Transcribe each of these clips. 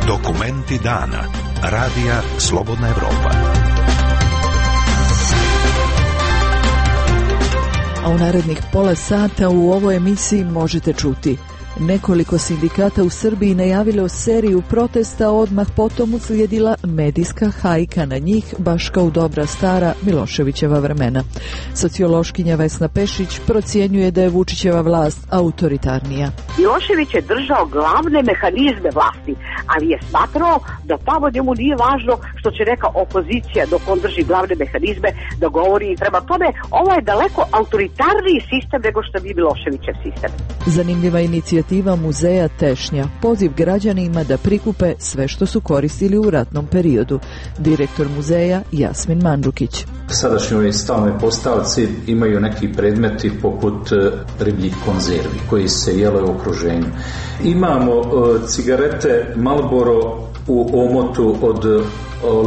Dokumenti dana. Radija Slobodna Evropa. A u narednih pola sata u ovoj emisiji možete čuti: nekoliko sindikata u Srbiji najavilo seriju protesta, odmah potom uslijedila medijska hajka na njih, baš kao u dobra stara Miloševićeva vremena. Sociološkinja Vesna Pešić procjenjuje da je Vučićeva vlast autoritarnija. Milošević je držao glavne mehanizme vlasti, ali je smatrao da tamo njemu nije važno što će neka opozicija dok on drži glavne mehanizme da govori, i prema tome ovo je daleko autoritarniji sistem nego što bi Miloševićev sistem. Zanimljiva inicijativa muzeja Tešnja, poziv građanima da prikupe sve što su koristili u ratnom periodu. Direktor muzeja Jasmin Mandžukić. Sadašnjoj stalnoj postavci imaju neki predmeti poput ribljih konzervi koji se jele u okruženju. Imamo cigarete Marlboro u omotu od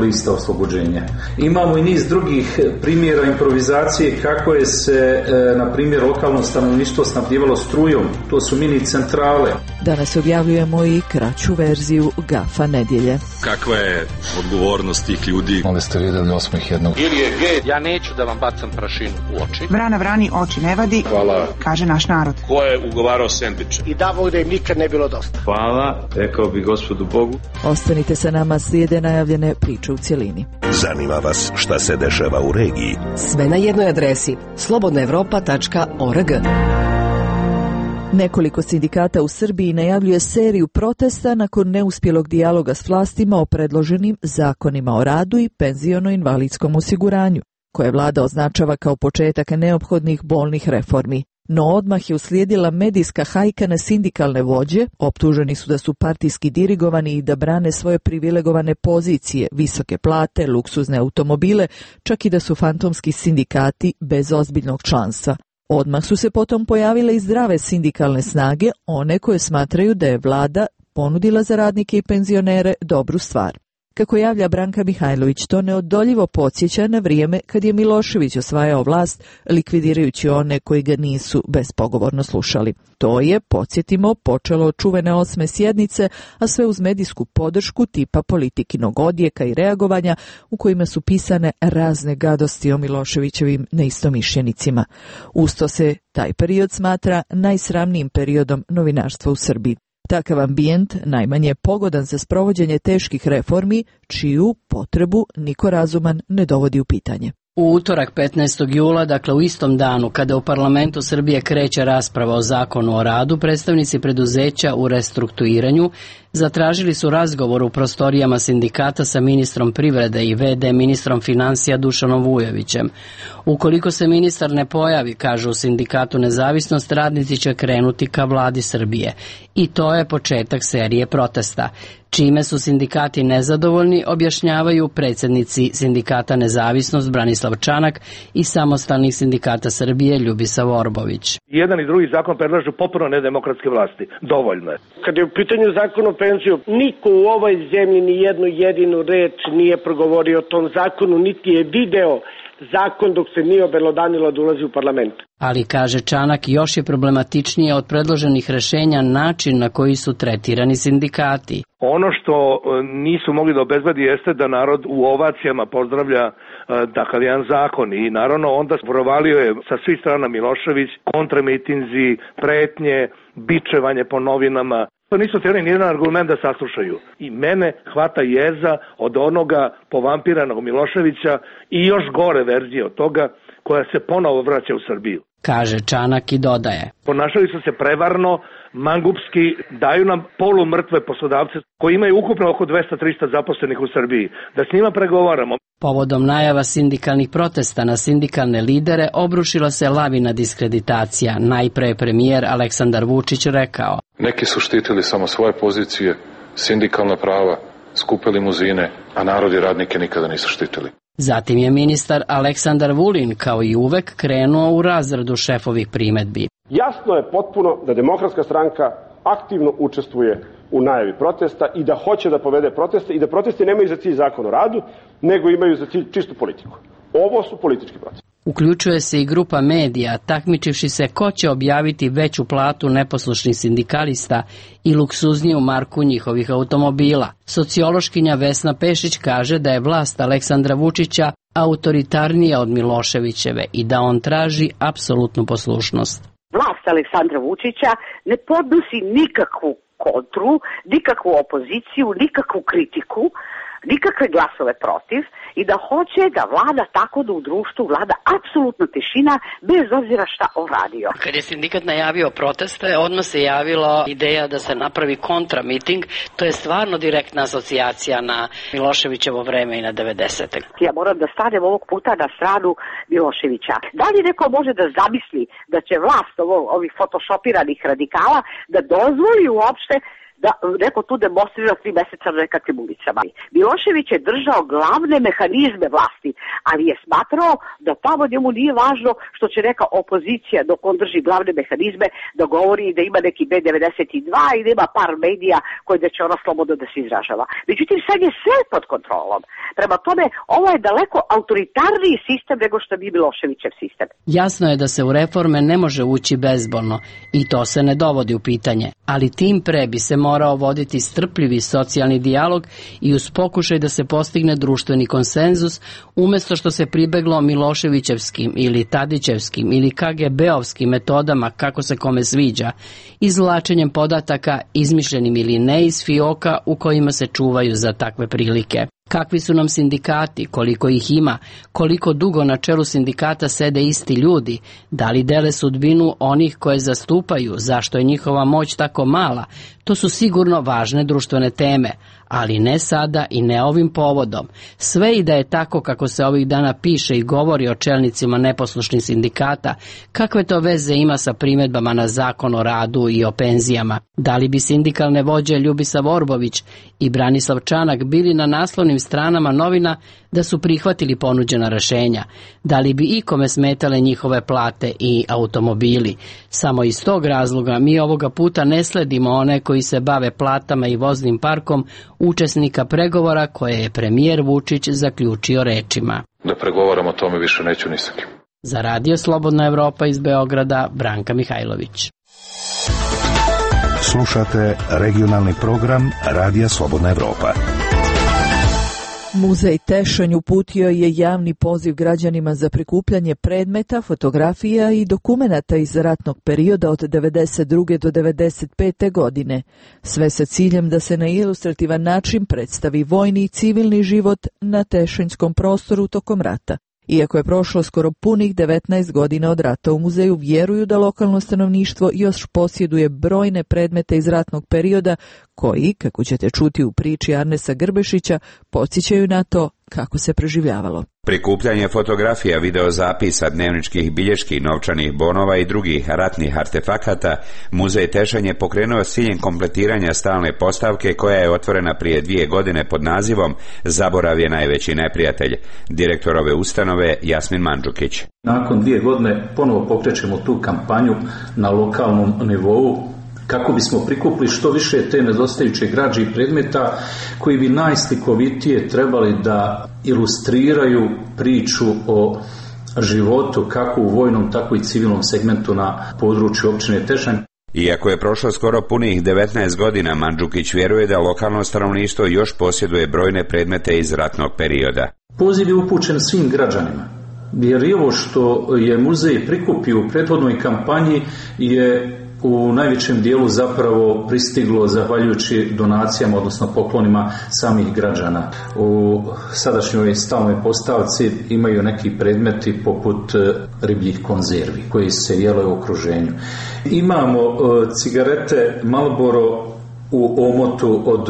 lista oslobođenja. Imamo i niz drugih primjera improvizacije kako je se, na primjer, lokalno stanovništvo snabdjevalo strujom. To su mini centrale. Danas objavljujemo i kraću verziju Gafa nedjelje. Kakva je odgovornost tih ljudi? Onda ste vidjeli osmih jednog. Ili je gej, ja neću da vam bacam prašinu u oči. Vrana vrani oči ne vadi. Hvala. Kaže naš narod. Ko je ugovarao sendviče? I davao da im nikad ne bilo dosta. Hvala, rekao bi Gospodu Bogu. Ostanite sa nama, slijede najavljene priče u cjelini. Zanima vas šta se dešava u regiji? Sve na jednoj adresi: slobodnaevropa.org. Nekoliko sindikata u Srbiji najavljuje seriju protesta nakon neuspjelog dijaloga s vlastima o predloženim zakonima o radu i penziono-invalidskom osiguranju, koje vlada označava kao početak neophodnih bolnih reformi. No odmah je uslijedila medijska hajka na sindikalne vođe, optuženi su da su partijski dirigovani i da brane svoje privilegovane pozicije, visoke plate, luksuzne automobile, čak i da su fantomski sindikati bez ozbiljnog članstva. Odmah su se potom pojavile i zdrave sindikalne snage, one koje smatraju da je vlada ponudila za radnike i penzionere dobru stvar. Kako javlja Branka Mihajlović, to neodoljivo podsjeća na vrijeme kad je Milošević osvajao vlast, likvidirajući one koji ga nisu bespogovorno slušali. To je, podsjetimo, počelo od čuvene 8. sjednice, a sve uz medijsku podršku tipa Politikinog odjeka i reagovanja u kojima su pisane razne gadosti o Miloševićevim neistomišljenicima. Usto se taj period smatra najsramnijim periodom novinarstva u Srbiji. Takav ambijent najmanje je pogodan za sprovođenje teških reformi, čiju potrebu niko razuman ne dovodi u pitanje. U utorak 15. jula, dakle u istom danu kada u parlamentu Srbije kreće rasprava o zakonu o radu, predstavnici preduzeća u restrukturiranju zatražili su razgovor u prostorijama sindikata sa ministrom privrede i VD ministrom financija Dušanom Vujovićem. Ukoliko se ministar ne pojavi, kažu u sindikatu Nezavisnost, radnici će krenuti ka vladi Srbije. I to je početak serije protesta. Čime su sindikati nezadovoljni, objašnjavaju predsjednici sindikata Nezavisnost Branislav Čanak i samostalnih sindikata Srbije Ljubisa Vorbović. Jedan i drugi zakon predlažu potpuno nedemokratske vlasti. Dovoljno je. Kad je u pitanju zakon o penziju, niko u ovoj zemlji ni jednu jedinu reč nije progovorio o tom zakonu, niti je video zakon dok se nije obelodanilo da ulazi u parlament. Ali, kaže Čanak, još je problematičnije od predloženih rješenja način na koji su tretirani sindikati. Ono što nisu mogli da obezbedi jeste da narod u ovacijama pozdravlja takav jedan zakon i naravno onda provalio je sa svih strana Milošević, kontramitinzi, pretnje, bičevanje po novinama. To nisu htjeli nijedan argument da saslušaju. I mene hvata jeza od onoga povampiranog Miloševića i još gore verzije od toga koja se ponovo vraća u Srbiju. Kaže Čanak i dodaje: ponašali su se prevarno, mangupski, daju nam polumrtve poslodavce koji imaju ukupno oko 200-300 zaposlenih u Srbiji. Da s njima pregovaramo. Povodom najava sindikalnih protesta na sindikalne lidere obrušila se lavina diskreditacija. Najpre je premijer Aleksandar Vučić rekao: neki su štitili samo svoje pozicije, sindikalna prava, skupe limuzine, a narod i radnike nikada nisu štitili. Zatim je ministar Aleksandar Vulin, kao i uvek, krenuo u razradu šefovih primedbi. Jasno je potpuno da Demokratska stranka aktivno učestvuje u najavi protesta i da hoće da povede proteste i da protesti nemaju za cilj zakon o radu, nego imaju za cilj čistu politiku. Ovo su politički protesti. Uključuje se i grupa medija, takmičivši se ko će objaviti veću platu neposlušnih sindikalista i luksuzniju marku njihovih automobila. Sociološkinja Vesna Pešić kaže da je vlast Aleksandra Vučića autoritarnija od Miloševićeve i da on traži apsolutnu poslušnost. Vlast Aleksandra Vučića ne podnosi nikakvu kontru, nikakvu opoziciju, nikakvu kritiku, nikakve glasove protiv i da hoće da vlada tako da u društvu vlada apsolutna tišina bez obzira šta on radio. Kad je sindikat najavio proteste, odmah se javilo ideja da se napravi kontramiting. To je stvarno direktna asocijacija na Miloševićevo vreme i na 90. Ja moram da stanem ovog puta na stranu Miloševića. Da li neko može da zamisli da će vlast ovih fotošopiranih radikala da dozvoli uopšte da neko tu demonstrira 3 meseca na nekakvim ulicama. Milošević je držao glavne mehanizme vlasti, ali je smatrao da tamo njemu nije važno što će neka opozicija dok on drži glavne mehanizme da govori da ima neki B92 i da ima par medija koji da će ona slobodno da se izražava. Međutim, sad je sve pod kontrolom. Prema tome, ovo je daleko autoritarniji sistem nego što bi Miloševićev sistem. Jasno je da se u reforme ne može ući bezbolno i to se ne dovodi u pitanje, ali tim pre bi se morao voditi strpljivi socijalni dijalog i uz pokušaj da se postigne društveni konsenzus, umesto što se pribeglo Miloševićevskim ili Tadićevskim ili KGB-ovskim metodama kako se kome sviđa, izvlačenjem podataka izmišljenim ili ne iz fioka u kojima se čuvaju za takve prilike. Kakvi su nam sindikati, koliko ih ima, koliko dugo na čelu sindikata sede isti ljudi, da li dele sudbinu onih koje zastupaju, zašto je njihova moć tako mala, to su sigurno važne društvene teme, ali ne sada i ne ovim povodom. Sve i da je tako kako se ovih dana piše i govori o čelnicima neposlušnih sindikata, kakve to veze ima sa primedbama na zakon o radu i o penzijama? Da li bi sindikalne vođe Ljubisav Orbović i Branislav Čanak bili na naslovnim stranama novina da su prihvatili ponuđena rešenja? Da li bi ikome smetale njihove plate i automobili? Samo iz tog razloga mi ovoga puta ne sledimo one koji se bave platama i voznim parkom učesnika pregovora koje je premijer Vučić zaključio rečima: Da pregovaram o tome više neću ni sa kim. Za Radio Slobodna Evropa iz Beograda, Branka Mihajlović. Slušate regionalni program Radija Slobodna Evropa. Muzej Tešanj uputio je javni poziv građanima za prikupljanje predmeta, fotografija i dokumenata iz ratnog perioda od 1992. do 1995. godine, sve sa ciljem da se na ilustrativan način predstavi vojni i civilni život na tešanjskom prostoru tokom rata. Iako je prošlo skoro punih 19 godina od rata, u muzeju vjeruju da lokalno stanovništvo još posjeduje brojne predmete iz ratnog perioda koji, kako ćete čuti u priči Arnesa Grbešića, podsjećaju na to kako se preživljavalo. Prikupljanje fotografija, videozapisa, dnevničkih bilješki, novčanih bonova i drugih ratnih artefakata, Muzej Tešanj je pokrenuo s ciljem kompletiranja stalne postavke koja je otvorena prije 2 godine pod nazivom Zaborav je najveći neprijatelj. Direktor ove ustanove Jasmin Mandžukić. Nakon 2 godine ponovo pokrećemo tu kampanju na lokalnom nivou kako bismo prikupili što više te nedostajuće građe i predmeta koji bi najslikovitije trebali da ilustriraju priču o životu kako u vojnom, tako i civilnom segmentu na području općine Tešanj. Iako je prošlo skoro punih 19 godina, Mandžukić vjeruje da lokalno stanovništvo još posjeduje brojne predmete iz ratnog perioda. Poziv je upućen svim građanima, jer i ovo što je muzej prikupio u prethodnoj kampanji je u najvećem dijelu zapravo pristiglo zahvaljujući donacijama, odnosno poklonima samih građana. U sadašnjoj stalnoj postavci imaju neki predmeti poput ribljih konzervi koji se jele u okruženju. Imamo cigarete Marlboro u omotu od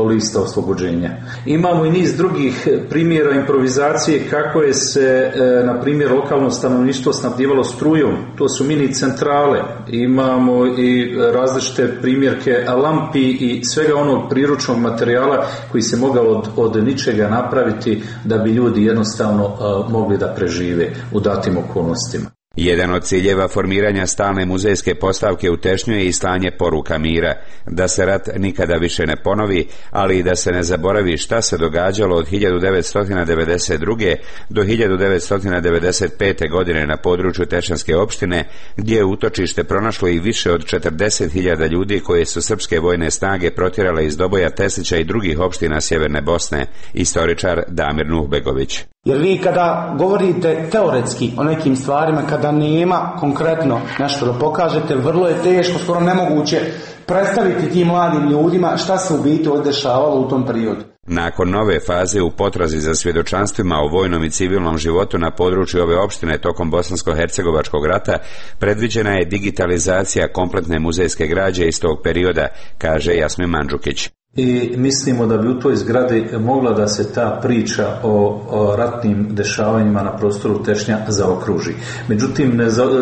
lista oslobođenja. Imamo i niz drugih primjera improvizacije kako je se, na primjer, lokalno stanovništvo snabdjevalo strujom. To su mini centrale. Imamo i različite primjerke lampi i svega onog priručnog materijala koji se mogao od ničega napraviti da bi ljudi jednostavno mogli da prežive u datim okolnostima. Jedan od ciljeva formiranja stalne muzejske postavke u Tešnju je i slanje poruka mira, da se rat nikada više ne ponovi, ali i da se ne zaboravi šta se događalo od 1992. do 1995. godine na području Tešanske opštine, gdje je utočište pronašlo i više od 40.000 ljudi koje su srpske vojne snage protjerale iz Doboja, Teslića i drugih opština sjeverne Bosne, istoričar Damir Nuhbegović. Jer vi kada govorite teoretski o nekim stvarima, kada nema konkretno nešto da pokažete, vrlo je teško, skoro nemoguće predstaviti tim mladim ljudima šta se u biti dešavalo u tom periodu. Nakon nove faze u potrazi za svjedočanstvima o vojnom i civilnom životu na području ove opštine tokom Bosansko-hercegovačkog rata, predviđena je digitalizacija kompletne muzejske građe iz tog perioda, kaže Jasmin Mandžukić. I mislimo da bi u toj zgradi mogla da se ta priča o ratnim dešavanjima na prostoru Tešnja zaokruži. Međutim,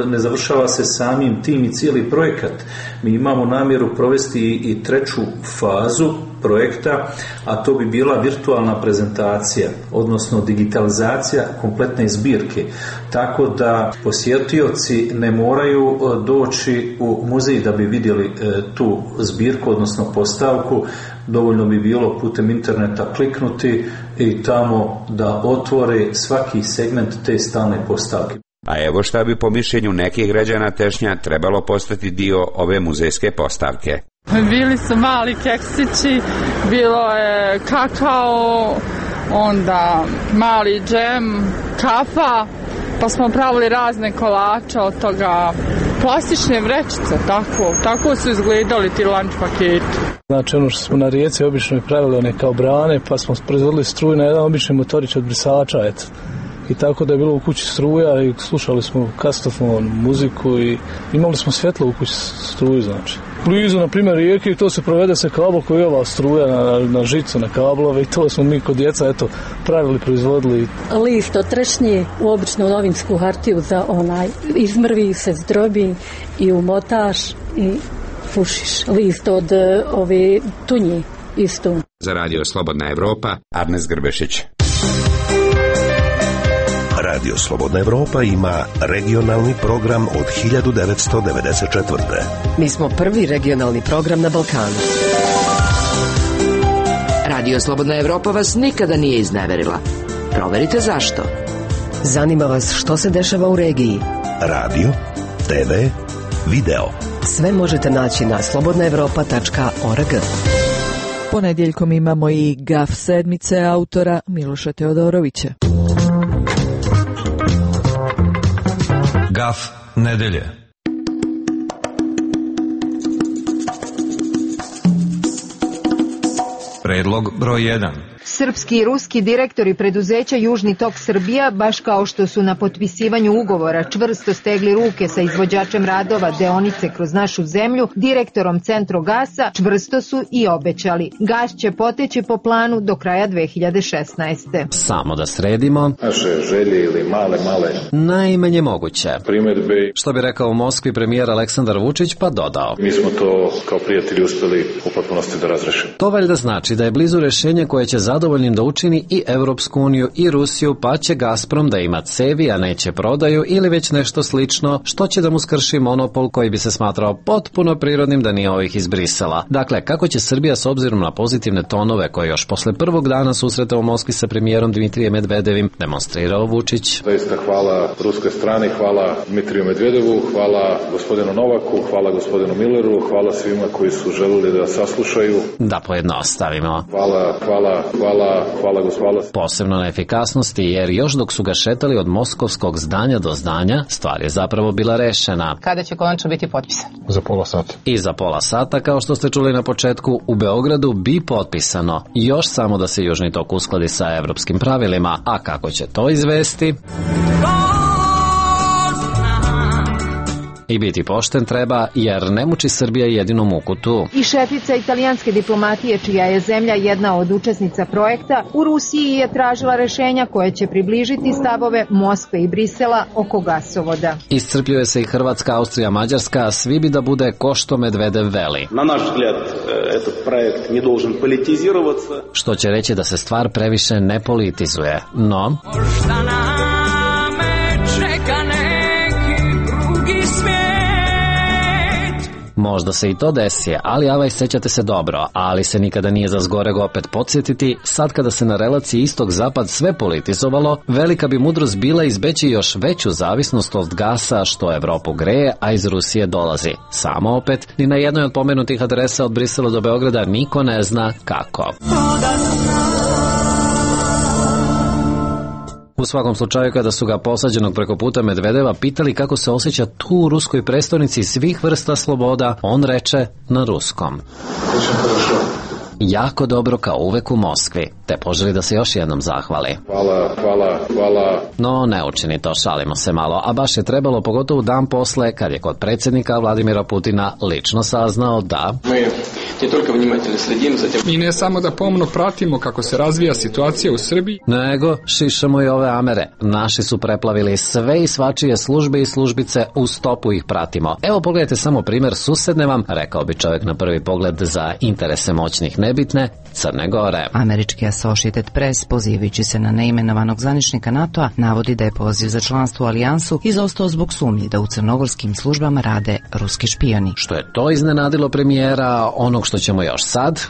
ne završava se samim tim i cijeli projekat. Mi imamo namjeru provesti i treću fazu projekta, a to bi bila virtualna prezentacija, odnosno digitalizacija kompletne zbirke. Tako da posjetioci ne moraju doći u muzej da bi vidjeli tu zbirku, odnosno postavku. Dovoljno bi bilo putem interneta kliknuti i tamo da otvore svaki segment te stalne postavke. A evo šta bi po mišljenju nekih građana Tešnja trebalo postati dio ove muzejske postavke. Bili su mali keksići, bilo je kakao, onda mali džem, kafa, pa smo pravili razne kolače od toga, plastične vrećice, tako su izgledali ti lunch paketi. Znači ono što smo na rijeci obično pravili one kao brane, pa smo proizvodili struju na jedan obični motorić od brisača, eto. I tako da je bilo u kući struja i slušali smo kastofon, muziku i imali smo svjetlo u kući struju, znači. Blizu, na primjer, rijeke i to se provede se kabel koji je ova struja na žicu, na kablove i to smo mi kod djeca, eto, pravili, proizvodili. List od trešnje u običnu novinsku hartiju za izmrvi se, zdrobi i umotaš i pušiš. List od ove tunje isto. Za Radio Slobodna Evropa, Arnes Grbešić. Radio Slobodna Evropa ima regionalni program od 1994. Mi smo prvi regionalni program na Balkanu. Radio Slobodna Evropa vas nikada nije izneverila. Proverite zašto. Zanima vas što se dešava u regiji. Radio, TV, video. Sve možete naći na slobodnaevropa.org. Ponedjeljkom imamo i GAF sedmice autora Miloša Teodorovića. GAF nedelje. Predlog broj 1. Srpski i ruski direktori preduzeća Južni tok Srbija, baš kao što su na potpisivanju ugovora čvrsto stegli ruke sa izvođačem radova deonice kroz našu zemlju, direktorom Centrogasa, čvrsto su i obećali. Gas će poteći po planu do kraja 2016. Samo da sredimo naše želje ili male najmanje moguće. Primjedbe. Što bi rekao u Moskvi premijer Aleksandar Vučić, pa dodao. Mi smo to kao prijatelji uspjeli u potpunosti da razrešimo. To valjda znači da je blizu rješenje koje će zadovoljnim da učini i Evropsku uniju i Rusiju, pa će Gazprom da ima cevi, a neće prodaju ili već nešto slično, što će da mu skrši monopol koji bi se smatrao potpuno prirodnim da nije ovih iz Brisela. Dakle, kako će Srbija s obzirom na pozitivne tonove koje još posle prvog dana susreta u Moskvi sa premijerom Dmitrijem Medvedevim demonstrirao Vučić? Zaista hvala ruskoj strani, hvala Dmitriju Medvedevu, hvala gospodinu Novaku, hvala gospodinu Milleru, hvala svima koji su želeli da saslušaju. Da pojednostavimo. Hvala gospodinu. Posebno na efikasnosti, jer još dok su ga šetali od moskovskog zdanja do zdanja, stvar je zapravo bila rešena. Kada će konačno biti potpisan? Za pola sata. I za pola sata, kao što ste čuli na početku, u Beogradu bi potpisano. Još samo da se Južni tok uskladi sa evropskim pravilima. A kako će to izvesti? I biti pošten treba, jer ne muči Srbija jedinu muku tu. I šefica italijanske diplomatije, čija je zemlja jedna od učesnica projekta, u Rusiji je tražila rešenja koje će približiti stavove Moskve i Brisela oko gasovoda. Iscrpljuje se i Hrvatska, Austrija, Mađarska, svi bi da bude ko što Medvedev veli. Na naš vzgled, этот projekt ne должен politizirovati. Što će reći da se stvar previše ne politizuje, no... Možda se i to desi, ali avaj, sećate se dobro, ali se nikada nije za zgoreg opet podsjetiti, sad kada se na relaciji istok-zapad sve politizovalo, velika bi mudrost bila izbeći još veću zavisnost od gasa što Evropu greje, a iz Rusije dolazi. Samo opet, ni na jednoj od pomenutih adresa od Brisela do Beograda niko ne zna kako. U svakom slučaju, kada su ga posađenog preko puta Medvedeva pitali kako se osjeća tu u ruskoj prestonici svih vrsta sloboda, on reče na ruskom: jako dobro, kao uvek u Moskvi, te poželi da se još jednom zahvali. Hvala. No, ne učini to, šalimo se malo, a baš je trebalo, pogotovo dan posle, kad je kod predsjednika Vladimira Putina lično saznao da mi ne samo da pomno pratimo kako se razvija situacija u Srbiji, nego šišamo i ove Amere. Naši su preplavili sve i svačije službe i službice, u stopu ih pratimo. Evo, pogledajte samo primjer susedne vam, rekao bi čovjek na prvi pogled za interese moćnih nebitne, Crne Gore. Američki Associated Press, pozivajući se na neimenovanog zvaničnika NATO-a, navodi da je poziv za članstvo u alijansu izostao zbog sumnji da u crnogorskim službama rade ruski špijoni. Što je to iznenadilo premijera, onog što ćemo još sad,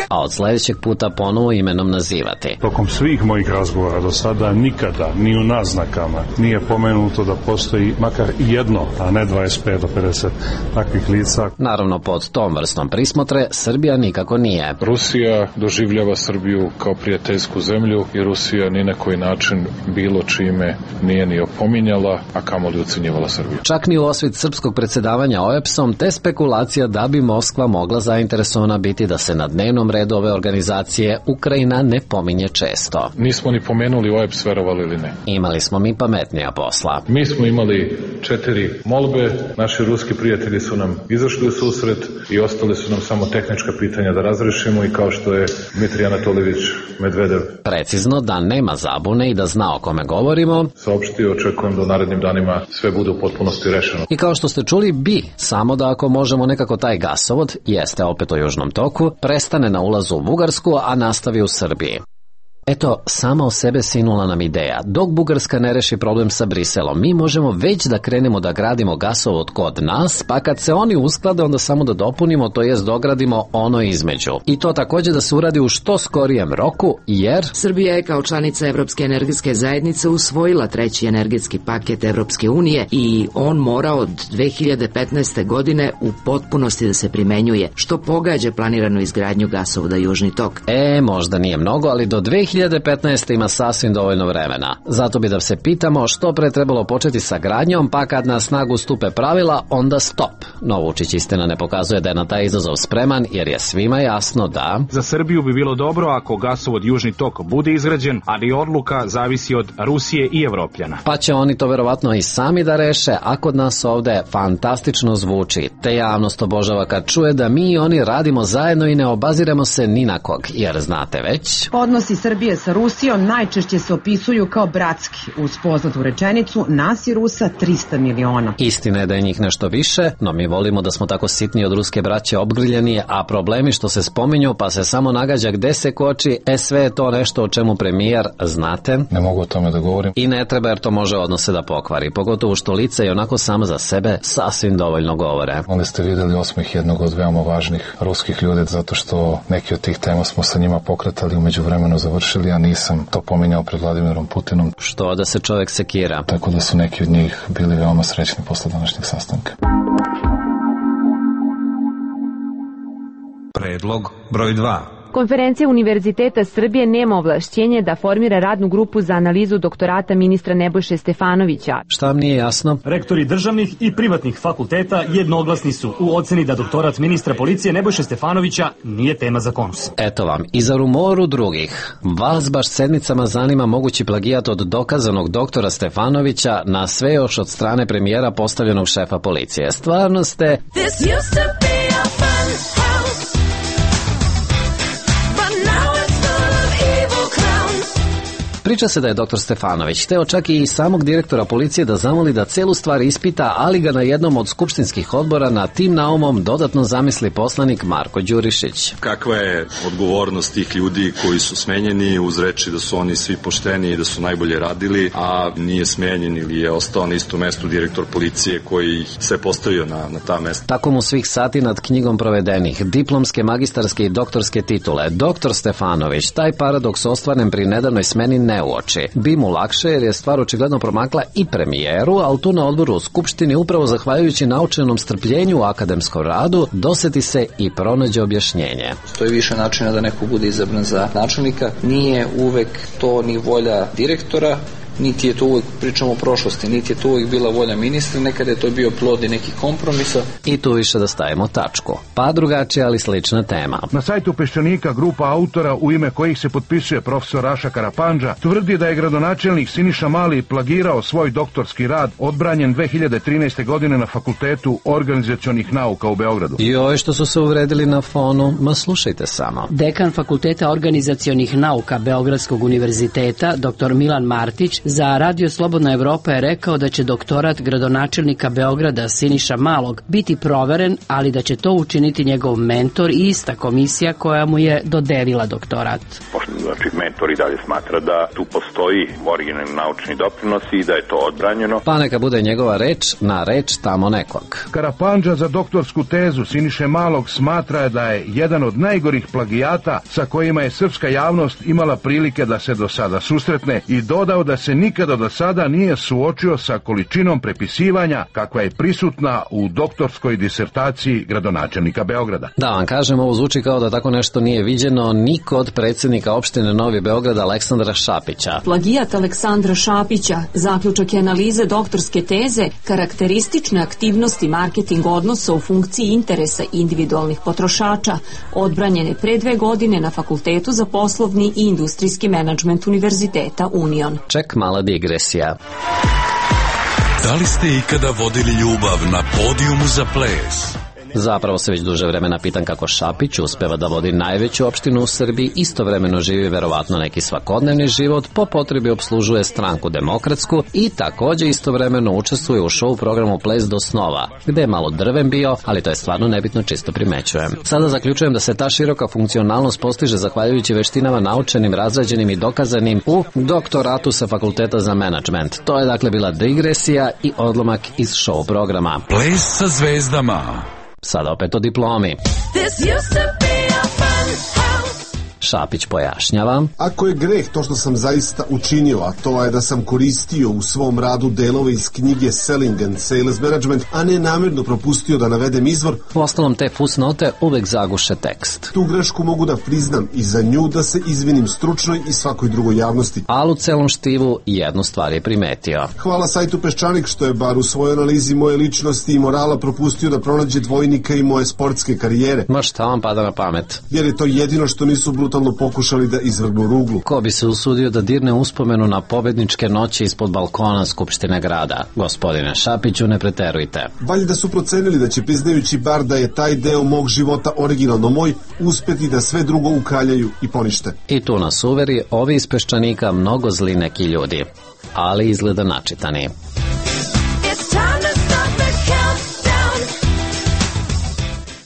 a od sljedećeg puta ponovo imenom nazivati. Tokom svih mojih razgovora do sada nikada, ni u naznakama, nije pomenuto da postoji makar jedno, a ne 25 do 50 takvih lica. Naravno, pod tom vrstom prismotre Srbija nikako nije. Rusija doživljava Srbiju kao prijateljsku zemlju i Rusija ni na koji način bilo čime nije ni opominjala, a kamoli ocenjivala Srbiju. Čak ni u osvit srpskog predsjedavanja OEBS-om, te spekulacija da bi Moskva mogla zainteresovana biti da se na dnevnom redu ove organizacije Ukrajina ne pominje često. Nismo ni pomenuli OEBS, verovali ili ne. Imali smo mi pametnija posla. Mi smo imali 4 molbe, naši ruski prijatelji su nam izašli u susret i ostali su nam samo tehnička pitanja da razrešimo, i kao što je Dmitrij Anatoljević Medvedev precizno, da nema zabune i da zna o kome govorimo, saopštio, očekujem da u narednim danima sve bude u potpunosti rešeno. I kao što ste čuli, samo da ako možemo nekako taj gasovod, jeste opet o Južnom toku, prestane na ulazu u Bugarsku, a nastavi u Srbiji. Eto, sama o sebe sinula nam ideja. Dok Bugarska ne reši problem sa Briselom, mi možemo već da krenemo da gradimo gasovod kod nas, pa kad se oni usklade, onda samo da dopunimo, to jest dogradimo ono između. I to također da se uradi u što skorijem roku, jer Srbija je kao članica Evropske energetske zajednice usvojila 3. energetski paket Evropske unije i on mora od 2015. godine u potpunosti da se primenjuje, što pogađa planiranu izgradnju gasovoda Južni tok. Možda nije mnogo, ali do 2015. ima sasvim dovoljno vremena. Zato bi da se pitamo što pre trebalo početi sa gradnjom, pa kad na snagu stupe pravila, onda stop. No, Vučić istina ne pokazuje da je na taj izazov spreman, jer je svima jasno da za Srbiju bi bilo dobro ako gasovod Južni tok bude izgrađen, ali odluka zavisi od Rusije i Evropljana. Pa će oni to verovatno i sami da reše, a kod nas ovde fantastično zvuči. Te javnost obožava kad čuje da mi i oni radimo zajedno i ne obaziremo se ni na kog, jer znate već, odnosi Srbije sa Rusijom najčešće se opisuju kao bratski, uz poznatu rečenicu nas i Rusa 300 miliona. Istina je da je njih nešto više, no mi volimo da smo tako sitni od ruske braće obgrljeni, a problemi što se spominju pa se samo nagađa gde se koči, sve je to nešto o čemu premijer, znate, ne mogu o tome da govorim. I ne treba, jer to može odnose da pokvari, pogotovo što lice i onako samo za sebe sasvim dovoljno govore. Onda ste vidjeli osmih jednog od veoma važnih ruskih ljudi, zato što neki od tih tema smo sa njima pokretali, umeđu vremenu završili, a nisam to pominjao pred Vladimirom Putinom. Što da se čovjek sekira. Tako da su neki od njih bili veoma srećni posle današnjeg sastanka. Predlog broj 2. Konferencija Univerziteta Srbije nema ovlašćenje da formira radnu grupu za analizu doktorata ministra Nebojše Stefanovića. Šta vam nije jasno? Rektori državnih i privatnih fakulteta jednoglasni su u oceni da doktorat ministra policije Nebojše Stefanovića nije tema za konus. Eto vam, i za rumoru drugih. Vas baš sedmicama zanima mogući plagijat od dokazanog doktora Stefanovića na sve još od strane premijera postavljenog šefa policije. Stvarno ste... Priča se da je dr. Stefanović hteo čak i samog direktora policije da zamoli da celu stvar ispita, ali ga na jednom od skupštinskih odbora na tim naumom dodatno zamisli poslanik Marko Đurišić. Kakva je odgovornost tih ljudi koji su smenjeni uz reči da su oni svi pošteni i da su najbolje radili, a nije smenjen ili je ostao na istom mestu direktor policije koji ih sve postavio na ta mesta. Tako mu svih sati nad knjigom provedenih, diplomske, magistarske i doktorske titule, dr. Stefanović taj paradoks ostvaren pri nedavnoj smeni ne uoči. Bi mu lakše jer je stvar očigledno promakla i premijeru, ali tu na odboru u Skupštini upravo zahvaljujući naučenom strpljenju u akademskom radu doseti se i pronađe objašnjenje. Postoji više načina da neko bude izabran za načelnika. Nije uvek to ni volja direktora, niti je to uvek, pričamo o prošlosti, niti je to uvek bila volja ministra, nekada je to bio plod i nekih kompromisa. I tu više da stavimo tačku. Pa drugačija, ali slična tema. Na sajtu Peščanika grupa autora u ime kojih se potpisuje profesor Raša Karapandža tvrdi da je gradonačelnik Siniša Mali plagirao svoj doktorski rad odbranjen 2013. godine na Fakultetu organizacionih nauka u Beogradu. Joj, što su se uvredili na fonu, ma slušajte samo. Dekan Fakulteta organizacionih nauka Beogradskog univerziteta, dr. Milan Martić, za Radio Slobodna Evropa je rekao da će doktorat gradonačelnika Beograda Siniša Malog biti proveren, ali da će to učiniti njegov mentor i ista komisija koja mu je dodelila doktorat. Znači, mentor i dalje smatra da tu postoji originalni naučni doprinos i da je to odbranjeno. Pa neka bude njegova reč na reč tamo nekog. Karapandža za doktorsku tezu Siniše Malog smatra da je jedan od najgorih plagijata sa kojima je srpska javnost imala prilike da se do sada susretne i dodao da se nikada do sada nije suočio sa količinom prepisivanja kakva je prisutna u doktorskoj disertaciji gradonačelnika Beograda. Da vam kažem, ovo zvuči kao da tako nešto nije viđeno ni kod predsjednika opštine Novi Beograd Aleksandra Šapića. Plagijat Aleksandra Šapića, zaključak je analize doktorske teze, karakteristične aktivnosti marketing odnosa u funkciji interesa individualnih potrošača, odbranjen je pre 2 godine na Fakultetu za poslovni i industrijski menadžment Univerziteta Union. Ček, mala digresija. Da li ste ikada vodili ljubav na podijumu za ples? Zapravo se već duže vremena pitam kako Šapić uspeva da vodi najveću opštinu u Srbiji, istovremeno živi verovatno neki svakodnevni život, po potrebi obslužuje stranku demokratsku i takođe istovremeno učestvuje u show programu Ples do snova, gde je malo drven bio, ali to je stvarno nebitno, čisto primećujem. Sada zaključujem da se ta široka funkcionalnost postiže zahvaljujući veštinama naučenim, razrađenim i dokazanim u doktoratu sa Fakulteta za menadžment. To je dakle bila digresija i odlomak iz show programa. Ples sa zvezdama. Sada opet o diplomi. Šapić pojašnjava. Ako je greh to što sam zaista učinio, a to je da sam koristio u svom radu delove iz knjige Selling and Sales Management, a ne namjerno propustio da navedem izvor, uostalom te fusnote uvek zaguše tekst. Tu grešku mogu da priznam i za nju da se izvinim stručnoj i svakoj drugoj javnosti. Ali u celom štivu jednu stvar je primetio. Hvala sajtu Peščanik što je bar u svojoj analizi moje ličnosti i morala propustio da pronađe dvojnika i moje sportske karijere. Ma šta vam pada na pamet? Jer je to jedino što nisu brutalno pokušali da izvrgnu ruglu. Ko bi se usudio da dirne uspomenu na pobedničke noći ispod balkona Skupštine grada? Gospodine Šapiću, ne preterujte. Valjda su procenili da će, priznajući bar da je taj deo mog života originalno moj, uspeti da sve drugo ukaljaju i ponište. I tu nas uveri ovi iz Peščanika mnogo zli neki ljudi, ali izgleda načitani.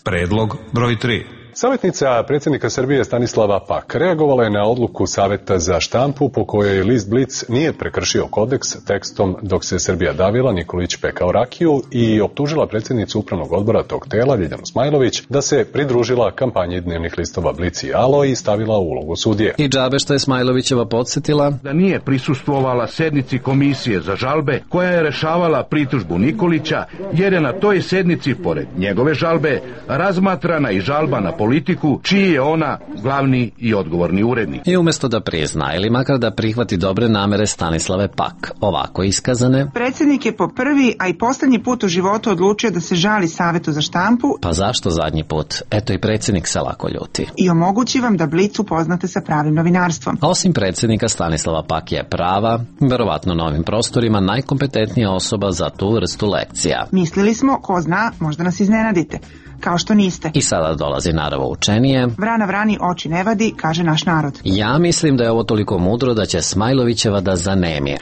Predlog broj 3. Savjetnica predsjednika Srbije Stanislava Pak reagovala je na odluku Saveta za štampu po kojoj list Blic nije prekršio kodeks tekstom dok se Srbija davila, Nikolić pekao rakiju i optužila predsjednicu upravnog odbora tog tela, Ljiljanu Smajlović, da se pridružila kampanji dnevnih listova Blic i Alo i stavila u ulogu sudije. I džabe što je Smajlovićeva podsjetila da nije prisustvovala sednici komisije za žalbe koja je rešavala pritužbu Nikolića, jer je na toj sednici, pored njegove žalbe, razmatrana i žalba na politiku, čiji je ona glavni i odgovorni urednik. I umjesto da prizna ili makar da prihvati dobre namere Stanislave Pak, ovako iskazane. Predsjednik je po prvi, a i poslednji put u životu odlučio da se žali Savetu za štampu. Pa zašto zadnji put? Eto i predsjednik se lako ljuti. I omogući vam da Blic upoznate sa pravim novinarstvom. A osim predsjednika, Stanislava Pak je prava, verovatno na ovim prostorima, najkompetentnija osoba za tu vrstu lekcija. Mislili smo, ko zna, možda nas iznenadite. kao što niste. I sada dolazi naravo učenije. Vrana vrani oči ne vadi, kaže naš narod. Ja mislim da je ovo toliko mudro da će Smajlovićeva da zanemi.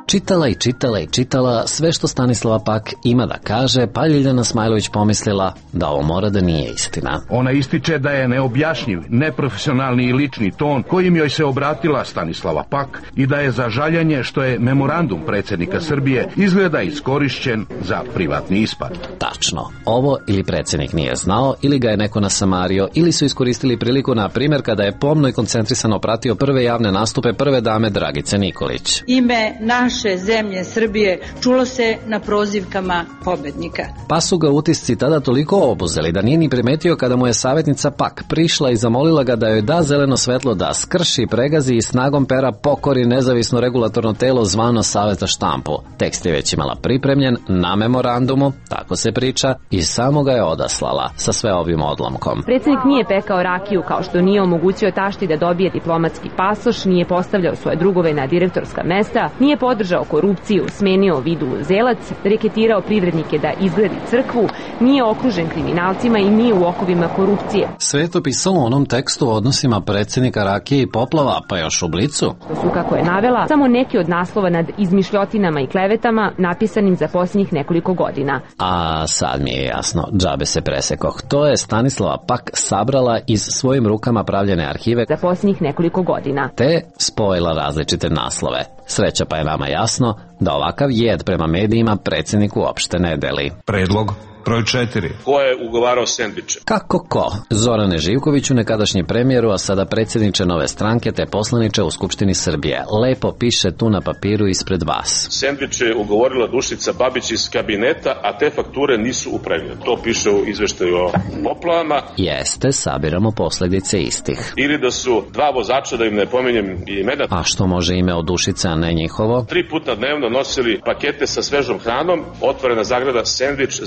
Čitala i čitala i čitala sve što Stanislava pak ima da kaže, pa Ljiljana Smajlović pomislila da ovo mora da nije istina. Ona ističe da je neobjašnjiv, neprofesionalni i lični ton kojim joj se obratila Stanislava Pak i da je za žaljenje što je memorandum predsjednika Srbije izgleda iskorišćen za privatni ispad. Tačno. Ovo ili predsjednik nije znao, ili ga je neko nasamario, ili su iskoristili priliku, na primjer, kada je pomno i koncentrisano pratio prve javne nastupe prve dame Dragice Nikolić. Ime naše zemlje Srbije čulo se na prozivkama pobednika. Pa su ga utisci tada toliko obuzeli da nije ni primetio kada mu je savjetnica Pak prišla i zamolila ga da joj da zeleno svetlo da skrši, pregazi i snagom pera pokori nezavisno regulatorno telo zvano Savet za štampu. Tekst je već imala pripremljen na memorandumu, tako se priča, i samo ga je odaslala sa sve ovim odlomkom. Predsjednik nije pekao rakiju kao što nije omogućio tašti da dobije diplomatski pasoš, nije postavljao svoje drugove na direktorska mesta, nije podržao korupciju, smenio Vidu Zelac, reketirao privrednike da izgradi crkvu, nije okružen kriminalcima i nije u okovima korupcije. Sve je to pisalo u onom tekstu o odnosima predsjednika Rakije i Poplava, pa još u Blicu. To su, kako je navela, samo neki od naslova nad izmišljotinama i klevetama napisanim za posljednjih nekoliko godina. A sad mi je jasno, džabe se presekoh. To je Stanislava Pak sabrala iz svojim rukama pravljene arhive za posljednjih nekoliko godina, te spojila različite naslove. Sreća pa je nama jasno da ovakav jed prema medijima predsjednik uopšte ne deli. Predlog broj 4. Ko je ugovarao sendviče? Kako ko? Zorane Živkoviću, nekadašnji premijeru, a sada predsjedniče Nove stranke te poslaniče u Skupštini Srbije. Lepo piše tu na papiru ispred vas. Sendviče je ugovorila Dušica Babić iz kabineta, a te fakture nisu u pregledu. To piše u izveštaju o poplavama. Jeste, sabiramo posljedice istih. Ili da su dva vozača, da im ne pominjem imena. A što može ime od Dušice, a ne njihovo? 3 puta dnevno nosili pakete sa svežom hranom, otvorena zagrada sendvič,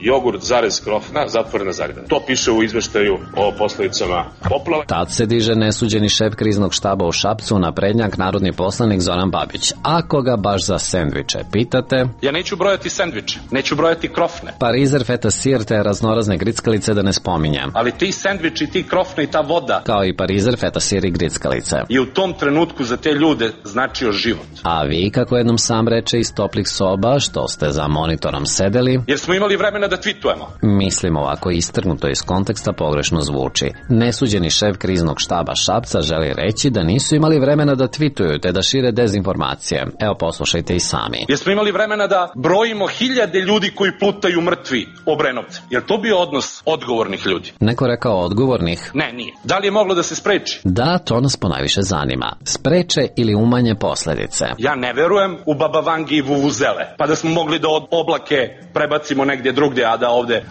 jogurt, krofna, zatvorena zagrada. To piše u izveštaju o posledicama poplava. Tad se diže nesuđeni šef kriznog štaba u Šapcu, naprednjak, narodni poslanik Zoran Babić. Ako ga baš za sendviče pitate... Ja neću brojati sendviče, neću brojati krofne. Parizer, feta sir te raznorazne grickalice da ne spominjem. Ali ti sendviči, ti krofne i ta voda... Kao i parizer, feta sir i grickalice. I u tom trenutku za te ljude značio život. A vi, kako jednom sam reče iz toplih soba, što ste za monitorom sedeli... Jer smo imali vremena da tweetujemo. Mislim, ovako istrgnuto iz konteksta pogrešno zvuči. Nesuđeni šef kriznog štaba Šapca želi reći da nisu imali vremena da tweetuju te da šire dezinformacije. Evo, poslušajte i sami. Jer smo imali vremena da brojimo 1000 ljudi koji plutaju mrtvi Obrenovce. Jer to bio odnos odgovornih ljudi? Neko rekao odgovornih? Ne, nije. Da li je moglo da se spreči? Da, to nas ponajviše zanima. Spreče ili umanje posljedice? Ja ne verujem u Baba Vangi i vuvuzele. Pa da smo mogli da oblake prebacimo negdje drugdje,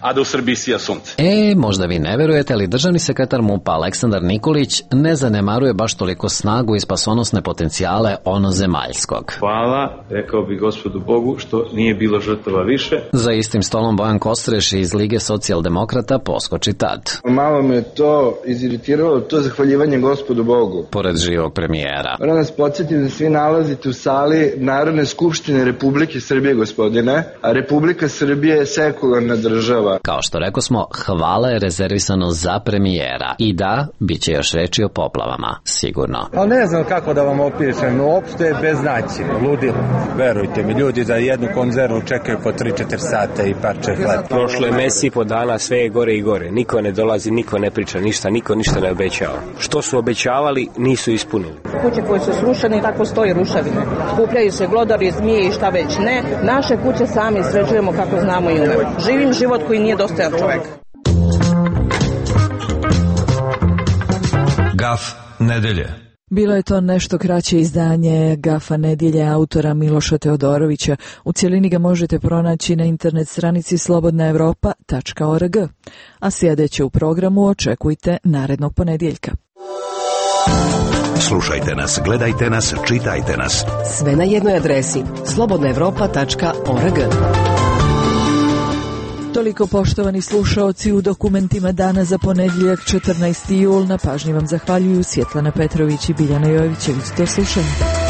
a da u Srbiji sija sunce. Možda vi ne verujete, ali državni sekretar MUP-a Aleksandar Nikolić ne zanemaruje baš toliko snagu i spasonosne potencijale onozemaljskog. Hvala, rekao bi gospodu Bogu, što nije bilo žrtava više. Za istim stolom Bojan Kostreš iz Lige socijaldemokrata poskoči tad. Malo me to iziritiralo, to zahvaljivanje gospodu Bogu. Pored živog premijera. Moram nas podsjetiti da svi nalazite u sali Narodne skupštine Republike Srbije, gospodine, a Republika Srbije je sekularna država. Kao što rekao smo, hvala je rezervisano za premijera. I da, bit će još reči o poplavama, sigurno. Ali ne znam kako da vam opišem, uopšte je beznaći, ludilo. Verujte mi, ljudi za jednu konzervu čekaju po 3-4 sata i parče hleba. Prošlo je mesec i po dana, sve je gore i gore. Niko ne dolazi, niko ne priča ništa, niko ništa ne obećava. Što su obećavali, nisu ispunili. Kuće koje su srušene, tako stoji rušavine. Skupljaju se glodari, zmije i šta već ne. Naše kuće sami sređujemo kako znamo i umemo. Živim život koji nije dostojan čovjek. Gaf nedelje. Bilo je to nešto kraće izdanje Gafa nedjelje autora Miloša Teodorovića. U cjelini ga možete pronaći na internet stranici slobodnaevropa.org. A sljedeće u programu očekujte narednog ponedjeljka. Slušajte nas, gledajte nas, čitajte nas. Sve na jednoj adresi slobodnaevropa.org. Toliko, poštovani slušaoci, u dokumentima dana za ponedjeljak 14. jul. Na pažnji vam zahvaljuju Svjetlana Petrović i Biljana Jovićević. Do slušanja.